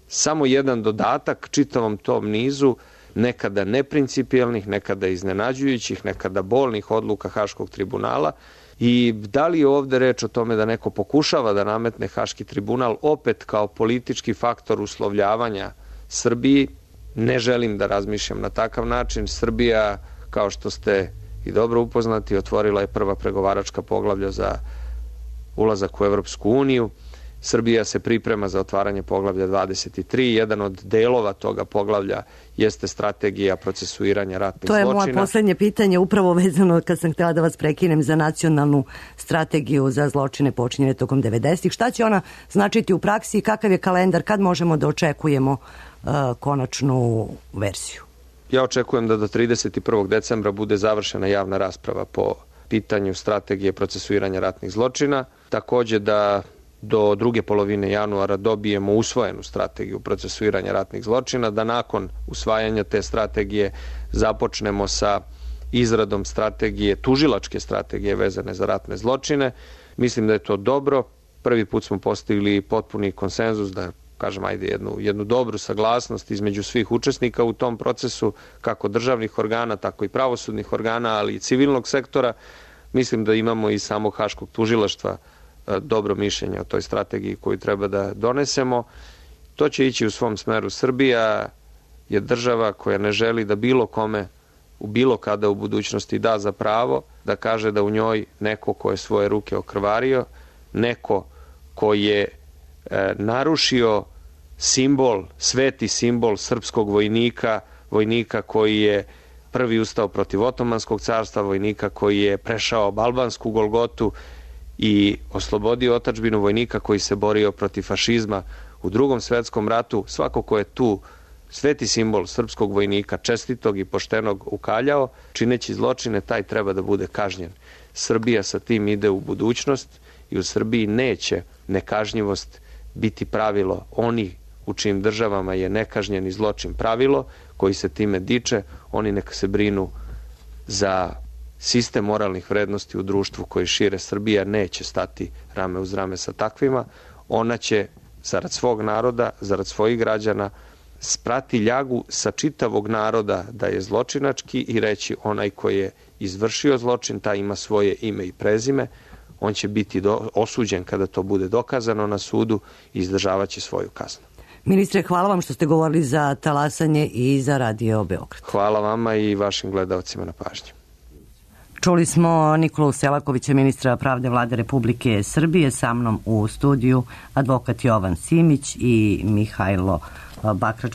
samo jedan dodatak čitavom tom nizu nekada neprincipijelnih, nekada iznenađujućih, nekada bolnih odluka Haškog tribunala. I da li je ovde reč o tome da neko pokušava da nametne Haški tribunal opet kao politički faktor uslovljavanja Srbiji? Ne želim da razmišljam na takav način. Srbija, kao što ste i dobro upoznati, otvorila je prva pregovaračka poglavlja za ulazak u Evropsku uniju. Srbija se priprema za otvaranje poglavlja 23. Jedan od delova toga poglavlja jeste strategija procesuiranja ratnih zločina. To je moje poslednje pitanje, upravo vezano kad sam htjela da vas prekinem za nacionalnu strategiju za zločine počinjene tokom 90-ih. Šta će ona značiti u praksi i kakav je kalendar, kad možemo da očekujemo konačnu verziju? Ja očekujem da do 31. decembra bude završena javna rasprava po pitanju strategije procesuiranja ratnih zločina. Takođe da do druge polovine januara dobijemo usvojenu strategiju procesuiranja ratnih zločina, da nakon usvajanja te strategije započnemo sa izradom strategije, tužilačke strategije vezane za ratne zločine. Mislim da je to dobro. Prvi put smo postigli potpuni konsenzus, da kažem, jednu dobru saglasnost između svih učesnika u tom procesu, kako državnih organa, tako i pravosudnih organa, ali i civilnog sektora. Mislim da imamo i samog Haškog tužilaštva dobro mišljenje o toj strategiji koju treba da donesemo. To će ići u svom smeru. Srbija je država koja ne želi da bilo kome u bilo kada u budućnosti da za pravo da kaže da u njoj neko ko je svoje ruke okrvario, neko ko je narušio simbol, sveti simbol srpskog vojnika, vojnika koji je prvi ustao protiv Otomanskog carstva, vojnika koji je prešao Balbansku Golgotu i oslobodio otadžbinu, vojnika koji se borio protiv fašizma u Drugom svetskom ratu. Svako ko je tu sveti simbol srpskog vojnika, čestitog i poštenog ukaljao, čineći zločine, taj treba da bude kažnjen. Srbija sa tim ide u budućnost i u Srbiji neće nekažnjivost biti pravilo. Oni u čijim državama je nekažnjeni zločin pravilo, koji se time diče, oni neka se brinu za sistem moralnih vrednosti u društvu koji šire. Srbija neće stati rame uz rame sa takvima. Ona će, zarad svog naroda, zarad svojih građana, sprati ljagu sa čitavog naroda da je zločinački i reći onaj koji je izvršio zločin, taj ima svoje ime i prezime, on će biti osuđen kada to bude dokazano na sudu i izdržavaće svoju kaznu. Ministre, hvala vam što ste govorili za Talasanje i za Radio Beograd. Hvala vama i vašim gledalcima na pažnji. Čuli smo Nikolu Selakovića, ministra pravde Vlade Republike Srbije, sa mnom u studiju advokat Jovan Simić i Mihajlo Bakrač,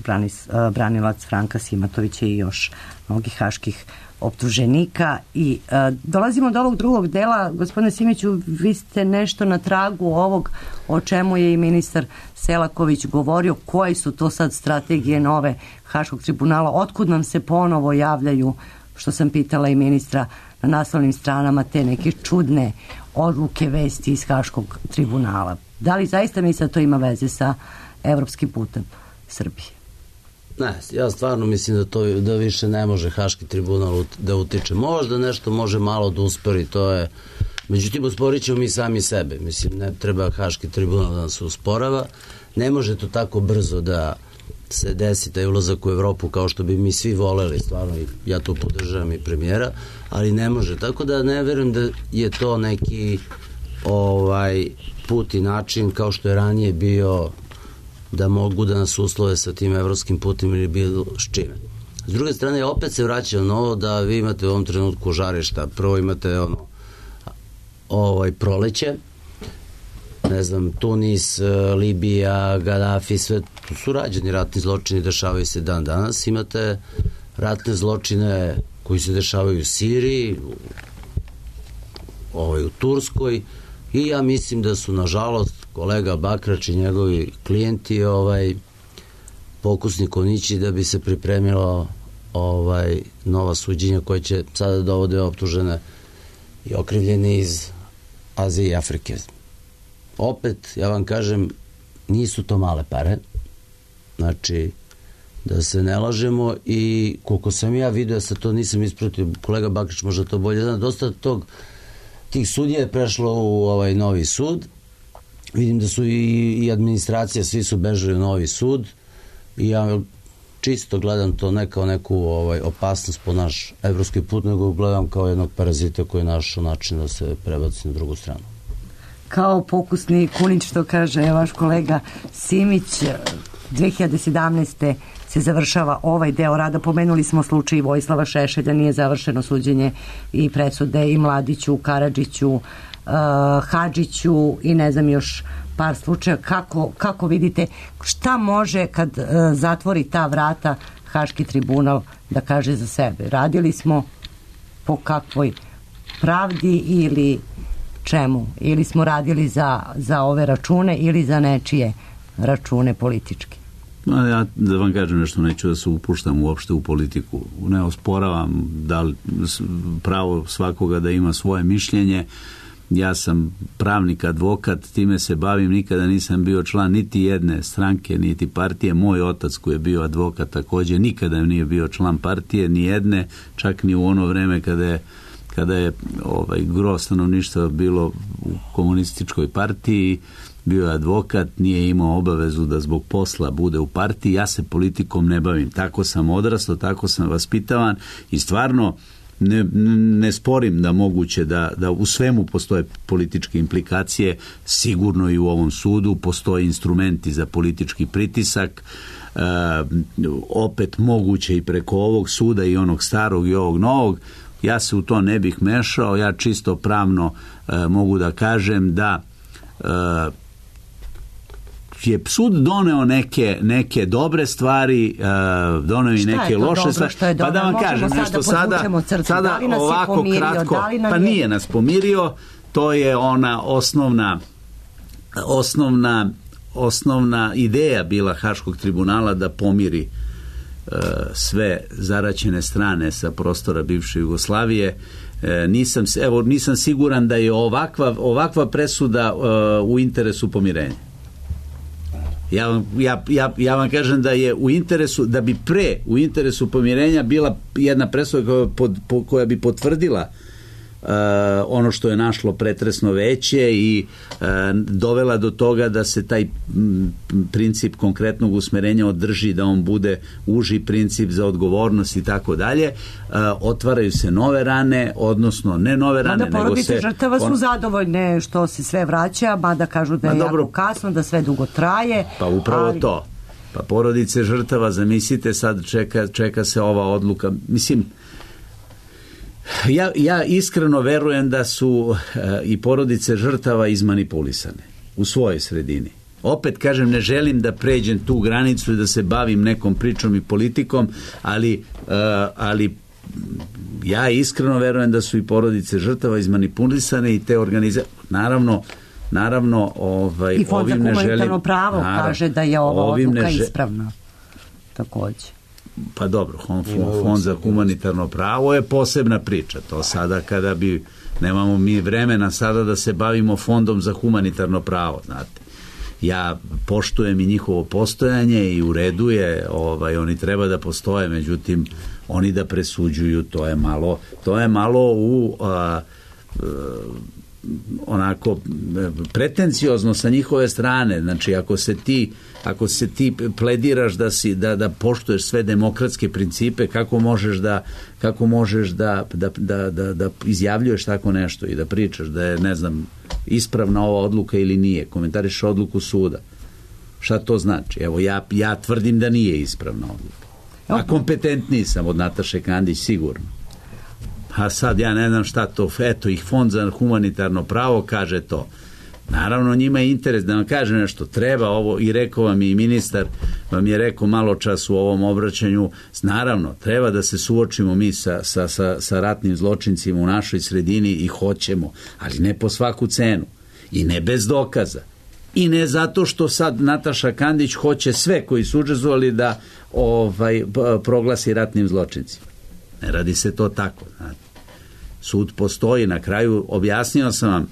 branilac Franka Simatovića i još mnogih haških optuženika. I dolazimo do ovog drugog dela. Gospodine Simiću, vi ste nešto na tragu ovog o čemu je i ministar Selaković govorio. Koje su to sad strategije nove Haškog tribunala? Otkud nam se ponovo javljaju, što sam pitala i ministra, na naslovnim stranama te neke čudne odluke, vesti iz Haškog tribunala? Da li zaista misle da to ima veze sa evropskim putem Srbije? Ne, ja stvarno mislim da više ne može Haški tribunal da utiče. Možda nešto može malo da uspori, to je... Međutim, usporit ćemo mi sami sebe. Mislim, ne treba Haški tribunal da nas usporava. Ne može to tako brzo da se desi taj ulazak u Evropu kao što bi mi svi voleli, stvarno, ja to podržavam i premijera, ali ne može. Tako da ne verujem da je to neki put i način kao što je ranije bio da mogu da nas uslove sa tim evropskim putem ili bilo s čime. S druge strane, opet se vraćam na ovo da vi imate u ovom trenutku žarišta. Prvo imate proleće, ne znam, Tunis, Libija, Gaddafi, sve tu su rađeni ratni zločini, dešavaju se dan danas. Imate ratne zločine koji se dešavaju u Siriji, u Turskoj, i ja mislim da su, nažalost, kolega Bakrač i njegovi klijenti pokusni konjići da bi se pripremilo nova suđenja koje će sada dovode optužene i okrivljeni iz Azije i Afrike. Opet, ja vam kažem, nisu to male pare. Znači, da se ne lažemo, i koliko sam ja vidio, sa to nisam ispratio, kolega Bakrač možda to bolje zna, dosta tih sudija je prešlo u novi sud. Vidim da su i administracija, svi su bežali u novi sud, i ja čisto gledam to ne kao neku opasnost po naš evropski put, nego gledam kao jednog parazita koji je našao način da se prebaci na drugu stranu. Kao pokusni kunić, što kaže vaš kolega Simić, 2017. se završava ovaj deo rada. Pomenuli smo slučaj Vojislava Šešelja, nije završeno suđenje i presude i Mladiću, Karadžiću, Hadžiću i ne znam još par slučaja. Kako vidite, šta može kad zatvori ta vrata Haški tribunal da kaže za sebe? Radili smo po kakvoj pravdi ili čemu? Ili smo radili za ove račune ili za nečije račune političke? Ja da vam kažem nešto, neću da se upuštam uopšte u politiku. Ne osporavam pravo svakoga da ima svoje mišljenje. Ja sam pravnik, advokat, time se bavim, nikada nisam bio član niti jedne stranke, niti partije. Moj otac koji je bio advokat također nikada nije bio član partije, ni jedne, čak ni u ono vreme kada je gro stanovništva bilo u komunističkoj partiji. Bio je advokat, nije imao obavezu da zbog posla bude u partiji. Ja se politikom ne bavim. Tako sam odrastao, tako sam vaspitavan i stvarno ne sporim da moguće da u svemu postoje političke implikacije, sigurno i u ovom sudu postoje instrumenti za politički pritisak, opet moguće i preko ovog suda i onog starog i ovog novog. Ja se u to ne bih mešao, ja čisto pravno mogu da kažem da je sud doneo neke dobre stvari, doneo i neke loše stvari. Pa da vam kažem nešto sada ovako kratko, pa nije nas pomirio, to je ona osnovna ideja bila Haškog tribunala da pomiri sve zaraćene strane sa prostora bivše Jugoslavije. Nisam siguran da je ovakva presuda u interesu pomirenja. Ja vam kažem da je u interesu, da bi u interesu pomirenja bila jedna presuda koja bi potvrdila ono što je našlo pretresno veće i dovela do toga da se taj princip konkretnog usmerenja održi, da on bude uži princip za odgovornost i tako dalje. Otvaraju se nove rane, odnosno ne nove rane, nego se... Porodice žrtava su zadovoljne što se sve vraća, mada kažu da je jako kasno, da sve dugo traje. Pa upravo to. Pa porodice žrtava, zamislite, sad čeka se ova odluka. Mislim, ja iskreno verujem da su i porodice žrtava izmanipulisane u svojoj sredini. Opet kažem, ne želim da pređem tu granicu i da se bavim nekom pričom i politikom, ali ja iskreno verujem da su i porodice žrtava izmanipulisane i te organizacije. Naravno, i Fond za humanitarno pravo kaže da je ova odluka ispravna. Takođe. Pa dobro, Fond za humanitarno pravo je posebna priča. To sada nemamo mi vremena sada da se bavimo Fondom za humanitarno pravo, znate. Ja poštujem i njihovo postojanje i u redu je, oni treba da postoje, međutim, oni da presuđuju, to je malo u onako pretenciozno sa njihove strane. Znači, ako se ti plediraš da poštuješ sve demokratske principe, kako možeš da izjavljuješ tako nešto i da pričaš da je, ne znam, ispravna ova odluka ili nije, komentariš odluku suda. Šta to znači? Evo, ja tvrdim da nije ispravna odluka. A kompetentniji sam od Nataše Kandić, sigurno. A sad ja ne znam šta to, eto ih Fond za humanitarno pravo kaže to. Naravno, njima je interes da vam kaže nešto, treba ovo, i rekao vam i ministar, vam je rekao malo čas u ovom obraćanju, naravno, treba da se suočimo mi sa ratnim zločincima u našoj sredini i hoćemo, ali ne po svaku cenu i ne bez dokaza. I ne zato što sad Nataša Kandić hoće sve koji su učestvovali da proglasi ratnim zločincima. Ne radi se to tako, znate. Sud postoji, na kraju objasnio sam vam,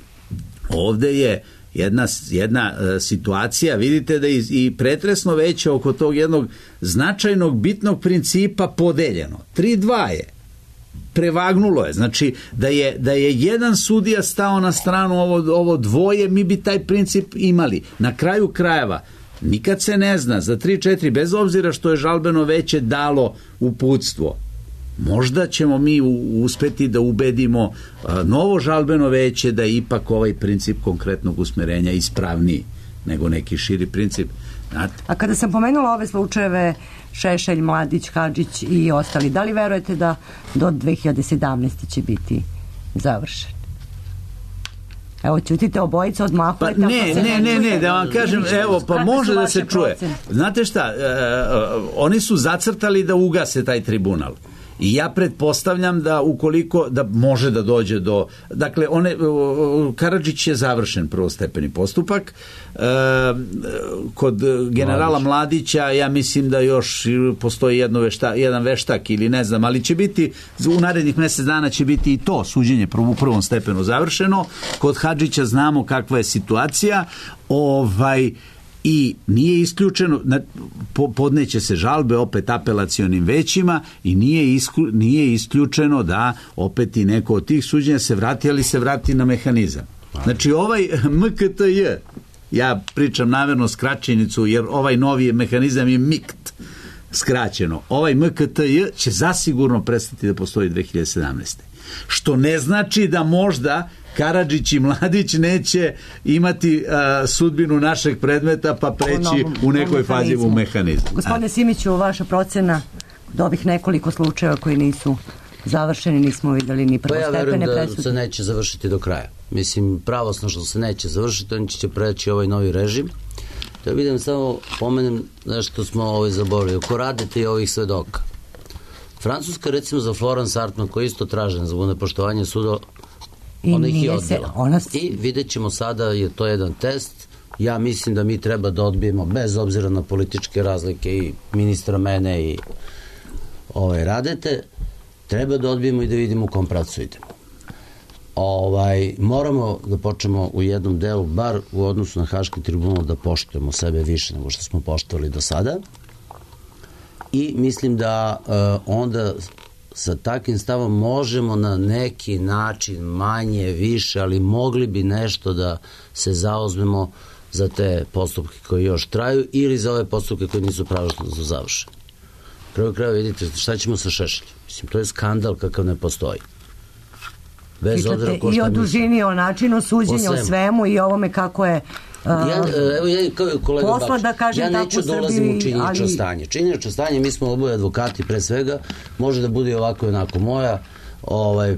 ovde je jedna situacija, vidite da i pretresno veće oko tog jednog značajnog bitnog principa podeljeno. 3-2 je. Prevagnulo je. Znači, da je jedan sudija stao na stranu ovo dvoje, mi bi taj princip imali. Na kraju krajeva, nikad se ne zna, za 3-4, bez obzira što je žalbeno veće dalo uputstvo, možda ćemo mi uspeti da ubedimo novo žalbeno veće da je ipak ovaj princip konkretnog usmerenja ispravniji nego neki širi princip. Znate? A kada sam pomenula ove slučajeve Šešelj, Mladić, Hadžić i ostali, da li verujete da do 2017. će biti završen? Evo, čutite, obojica odmahujete. Pa ne, da vam kažem, evo, pa može da se čuje. Znate šta, oni su zacrtali da ugase taj tribunal. I ja pretpostavljam da ukoliko, da može da dođe do, dakle, Karadžić je završen prvostepeni postupak, kod generala Mladića ja mislim da još postoji jedan veštak ili ne znam, ali će biti, u narednih mjesec dana će biti i to suđenje u prvom stepenu završeno. Kod Hadžića znamo kakva je situacija, i nije isključeno, podneće se žalbe opet apelacionim većima i nije isključeno da opet i neko od tih suđenja se vrati, ali se vrati na mehanizam. Znači ovaj MKTJ, ja pričam namjerno skraćenicu jer ovaj novi mehanizam je MIKT, skraćeno, ovaj MKTJ će zasigurno prestati da postoji 2017. Što ne znači da možda Karadžić i Mladić neće imati sudbinu našeg predmeta pa preći u nekoj fazi u mehanizmu. Gospodine Simiću, vaša procena od ovih nekoliko slučajeva koji nisu završeni, nismo videli ni prvostepene presude. Pa ja verujem da se neće završiti do kraja. Mislim, pravosno što se neće završiti, oni će preći ovaj novi režim. Da vidim, samo pomenem nešto smo zaboravili. Oko Radete i ovih svedoka. Francuska, recimo, za Florence Hartman, koji je isto tražen za nepoštovanje suda, ona ih je odbila. I vidjet ćemo sada, je to jedan test. Ja mislim da mi treba da odbijemo, bez obzira na političke razlike i ministra mene i Radete, treba da odbijemo i da vidimo u kom pravcu idemo. Moramo da počnemo u jednom delu, bar u odnosu na Haški tribunal, da poštujemo sebe više nego što smo poštovali do sada. I mislim da onda sa takvim stavom možemo na neki način, manje, više, ali mogli bi nešto da se zauzmemo za te postupke koji još traju ili za ove postupke koji nisu pravosnažno završeni. Kraju kraja vidite šta ćemo sa Šešeljem. Mislim, to je skandal kakav ne postoji. Pitate i o dužini, o načinu suđenja, o svemu i ovome kako je posla, da kažem tako, u Srbiji. Ja neću dolazim u činjenično stanje. Činjenično stanje, mi smo oboje advokati pre svega, može da bude ovako i onako. Moja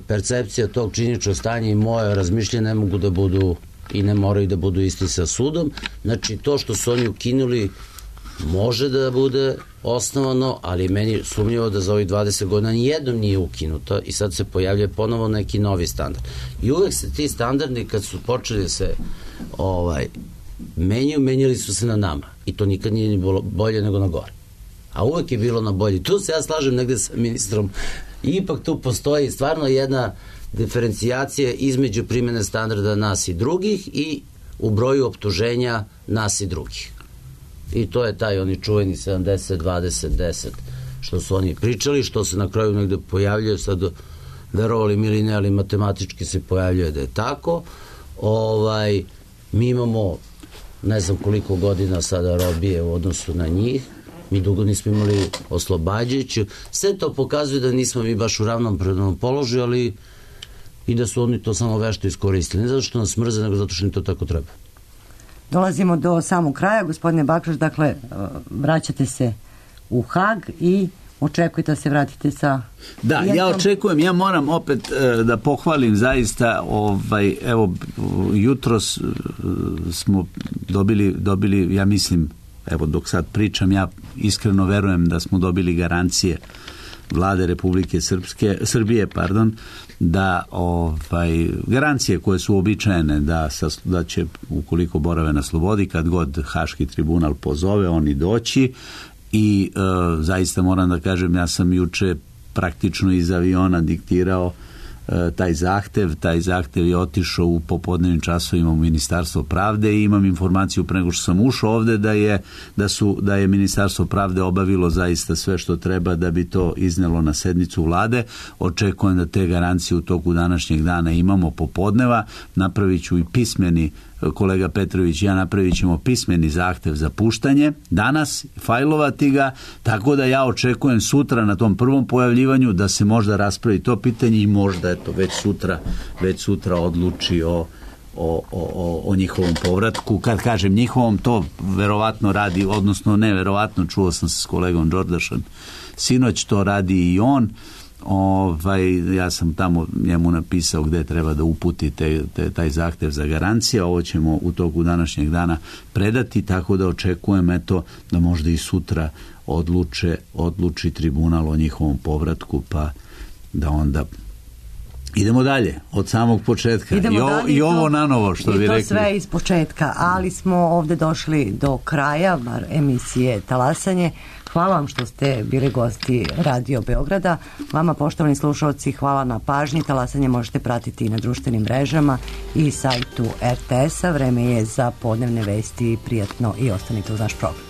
percepcija tog činjeničnog stanja i moje razmišljenje ne mogu da budu i ne moraju da budu isti sa sudom. Znači, to što su oni ukinuli može da bude osnovano, ali meni sumnjivo da za ovih 20 godina nijednom nije ukinuto i sad se pojavlja ponovo neki novi standard. I uvek se ti standardi kad su počeli da se menjali su se na nama i to nikad nije ni bolje nego na gore. A uvek je bilo na bolje. Tu se ja slažem negde sa ministrom. Ipak tu postoji stvarno jedna diferencijacija između primjene standarda nas i drugih i u broju optuženja nas i drugih. I to je taj oni čuveni 70, 20, 10 što su oni pričali, što se na kraju negde pojavljaju, sad verovali mi ili ne, ali matematički se pojavljuje da je tako. Mi imamo ne znam koliko godina sada robije u odnosu na njih, mi dugo nismo imali oslobađajuću, sve to pokazuje da nismo mi baš u ravnopravnom položaju, ali i da su oni to samo vešto iskoristili, ne zato što nas mrze, nego zato što im to tako treba. Dolazimo do samog kraja, gospodine Bakraš, dakle, vraćate se u Hag i očekujete da se vratite sa... Da, ja očekujem, ja moram opet da pohvalim zaista, evo, jutros smo dobili, ja mislim, evo dok sad pričam, ja iskreno verujem da smo dobili garancije Vlade Republike Srbije, da garancije koje su uobičajene da će, ukoliko borave na slobodi, kad god Haški tribunal pozove, oni doći i zaista moram da kažem, ja sam juče praktično iz aviona diktirao taj zahtev je otišao u popodnevnim časovima u Ministarstvo pravde i imam informaciju pre nego što sam ušao ovde da je Ministarstvo pravde obavilo zaista sve što treba da bi to iznelo na sednicu vlade. Očekujem da te garancije u toku današnjeg dana imamo popodneva. Napravit ću i pismeni, kolega Petrović i ja napravit ćemo pismeni zahtev za puštanje danas, fajlovati ga, tako da ja očekujem sutra na tom prvom pojavljivanju da se možda raspravi to pitanje i možda već sutra odluči o njihovom povratku. Kad kažem njihovom, to verovatno radi, odnosno ne verovatno, čuo sam se s kolegom Đordašom sinoć, to radi i on. Ja sam tamo njemu napisao gde treba da uputi taj zahtev za garancije. Ovo ćemo u toku današnjeg dana predati, tako da očekujem da možda i sutra odluči tribunal o njihovom povratku, pa da onda idemo dalje, od samog početka. I ovo na novo, što bi rekli. I to sve iz početka, ali smo ovde došli do kraja, bar emisije Talasanje. Hvala vam što ste bili gosti Radio Beograda. Vama, poštovani slušalci, hvala na pažnji. Talasanje možete pratiti i na društvenim mrežama i sajtu RTS-a. Vreme je za podnevne vesti. Prijatno i ostanite uz naš program.